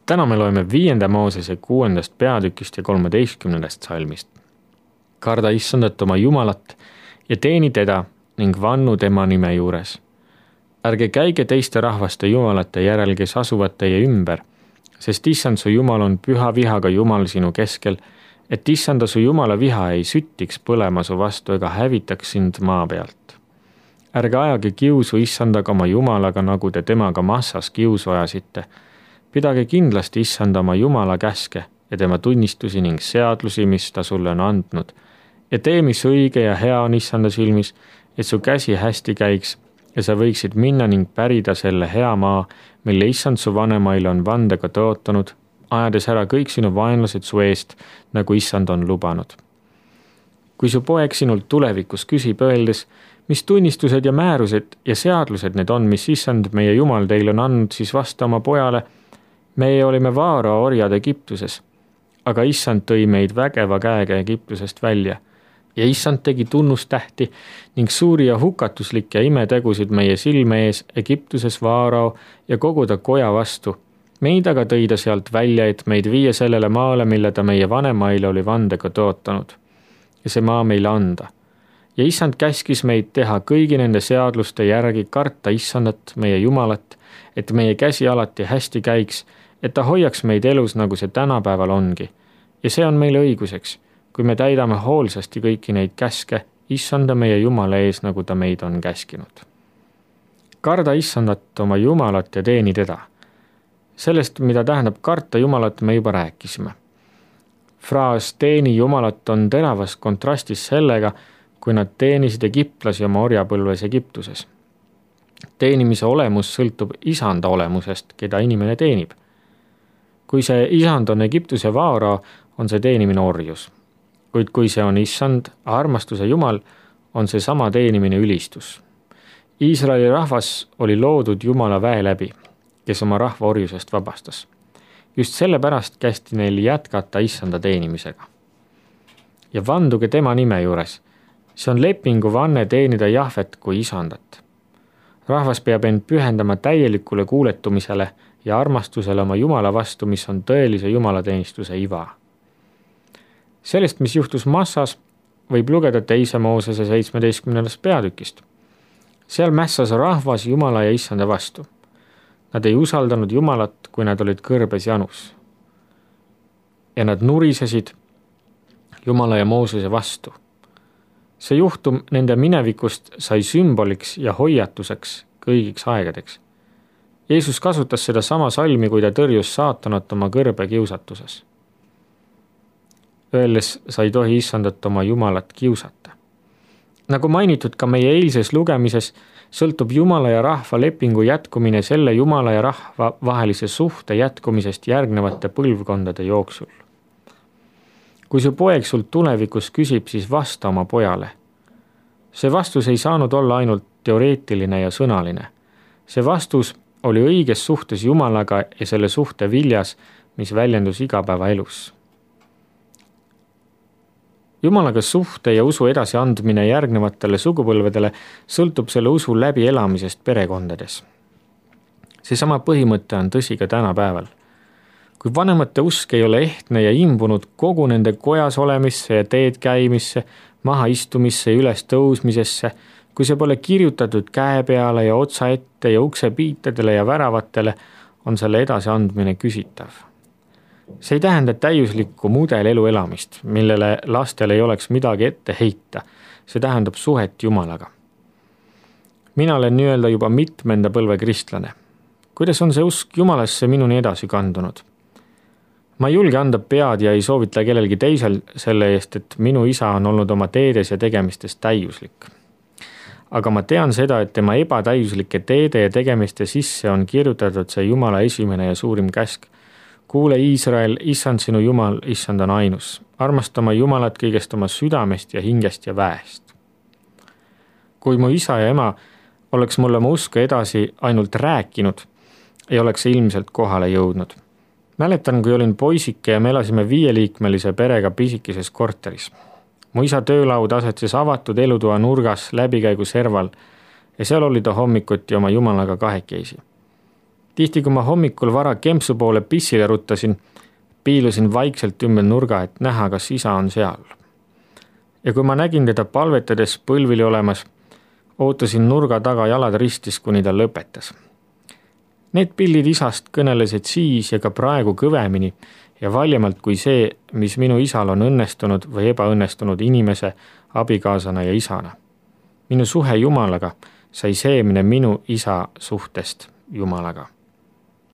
Täna me loeme 5. Moosese 6. peatükist ja 13. salmist. Karda Issandat oma Jumalat ja teeni teda ning vannu tema nime juures. Ärge käige teiste rahvaste jumalate järel, kes asuvad teie ümber, sest Issand su Jumal on püha vihaga Jumal sinu keskel, et Issanda su Jumala viha ei süttiks põlema su vastu ega hävitaks sind maa pealt. Ärge ajage kiusu Issandaga oma Jumalaga, nagu te temaga Massas kiusu ajasite. Pidage kindlasti Issanda oma Jumala käske ja tema tunnistusi ning seadlusi, mis ta sulle on andnud, ja tee, mis õige ja hea on Issanda silmis, et su käsi hästi käiks ja sa võiksid minna ning pärida selle hea maa, mille Issand su vanemaile on vandega tõotanud, ajades ära kõik sinu vaenlased su eest, nagu Issand on lubanud. Kui su poeg sinult tulevikus küsib, öeldes, mis tunnistused ja määrused ja seadlused need on, mis Issand meie Jumal teile on andnud, siis vasta oma pojale, meie olime Vaarao orjad Egiptuses, aga Issand tõi meid vägeva käega Egiptusest välja. Ja Issand tegi tunnustähti ning suuri ja hukatuslikke imetegusid meie silme ees Egiptuses Vaarao ja kogu ta koja vastu. Meid aga tõi ta sealt välja, et meid viia sellele maale, mille ta meie vanemaile oli vandega tõotanud. Ja see maa meile anda. Ja Issand käskis meid teha kõigi nende seadluste järgi, karta Issandat, meie Jumalat, et meie käsi alati hästi käiks, et ta hoiaks meid elus, nagu see tänapäeval ongi. Ja see on meile õiguseks, kui me täidame hoolsasti kõiki neid käske, Issanda meie Jumala ees, nagu ta meid on käskinud. Karda Issandat oma Jumalat ja teeni teda. Sellest, mida tähendab karta Jumalat, me juba rääkisime. Fraas teeni Jumalat on teravas kontrastis sellega, kui nad teenisid egiptlasi oma orjapõlves Egiptuses. Teenimise olemus sõltub Isanda olemusest, keda inimene teenib. Kui see Isand on Egiptuse Vaarao, on see teenimine orjus. Kuid kui see on Issand, armastuse Jumal, on see sama teenimine ülistus. Iisraeli rahvas oli loodud Jumala väe läbi, kes oma rahva orjusest vabastas. Just sellepärast kästi neil jätkata Issanda teenimisega. Ja vanduge tema nime juures. See on lepingu vanne teenida Jahvet kui Isandat. Rahvas peab end pühendama täielikule kuuletumisele ja armastusele oma Jumala vastu, mis on tõelise Jumalateenistuse iva. Sellest, mis juhtus Massas, võib lugeda 2. Moosese 17. peatükist. Seal mässas rahvas Jumala ja Issanda vastu. Nad ei usaldanud Jumalat, kui nad olid kõrbes janus. Ja nad nurisesid Jumala ja Moosese vastu. See juhtum nende minevikust sai sümboliks ja hoiatuseks kõigiks aegadeks. Jeesus kasutas seda sama salmi, kui ta tõrjus saatanat oma kõrbe kiusatuses. Öeldes sa ei tohi Issandat oma Jumalat kiusata. Nagu mainitud ka meie eilses lugemises, sõltub Jumala ja rahva lepingu jätkumine selle Jumala ja rahva vahelise suhte jätkumisest järgnevate põlvkondade jooksul. Kui su poeg sult tulevikus küsib, siis vasta oma pojale. See vastus ei saanud olla ainult teoreetiline ja sõnaline. See vastus oli õiges suhtes Jumalaga ja selle suhte viljas, mis väljendus igapäevaelus. Jumalaga suhte ja usu edasiandmine järgnevatele sugupõlvedele sõltub selle usu läbi elamisest perekondades. Seesama põhimõte on tõsi ka tänapäeval. Kui vanemate usk ei ole ehtne ja imbunud kogu nende kojas olemisse ja teed käimisse, maha istumisse ja üles tõusmisesse, kui see pole kirjutatud käe peale ja otsa ette ja ukse piitadele ja väravatele, on selle edasiandmine küsitav. See ei tähenda täiuslikku mudelelu elamist, millele lastel ei oleks midagi ette heita. See tähendab suhet Jumalaga. Mina olen nii-öelda juba mitmenda põlve kristlane. Kuidas on see usk Jumalasse minuni edasi kandunud? Ma ei julge anda pead ja ei soovita kellelgi teisel selle eest, et minu isa on olnud oma teedes ja tegemistes täiuslik. Aga ma tean seda, et tema ebatäiuslike teede ja tegemiste sisse on kirjutatud see Jumala esimene ja suurim käsk. Kuule Iisrael, Issand sinu Jumal, Issand on ainus. Armastama Jumalat kõigest oma südamest ja hingest ja väest. Kui mu isa ja ema oleks mulle mu usku edasi ainult rääkinud, ei oleks see ilmselt kohale jõudnud. Mäletan, kui olin poisike ja me elasime 5-liikmelise perega pisikeses korteris. Mu isa töölaud asetses avatud elutoa nurgas läbikäigu serval ja seal oli ta hommikuti oma Jumalaga kahekesi. Tihti, kui ma hommikul vara kempsu poole pissile ruttasin, piilusin vaikselt ümber nurga, et näha, kas isa on seal. Ja kui ma nägin teda palvetades põlvili olemas, ootasin nurga taga jalad ristis, kuni ta lõpetas. Need pildid isast kõnelesid siis ja ka praegu kõvemini ja valjemalt kui see, mis minu isal on õnnestunud või ebaõnnestunud inimese, abikaasana ja isana. Minu suhe Jumalaga sai seemne minu isa suhtest Jumalaga.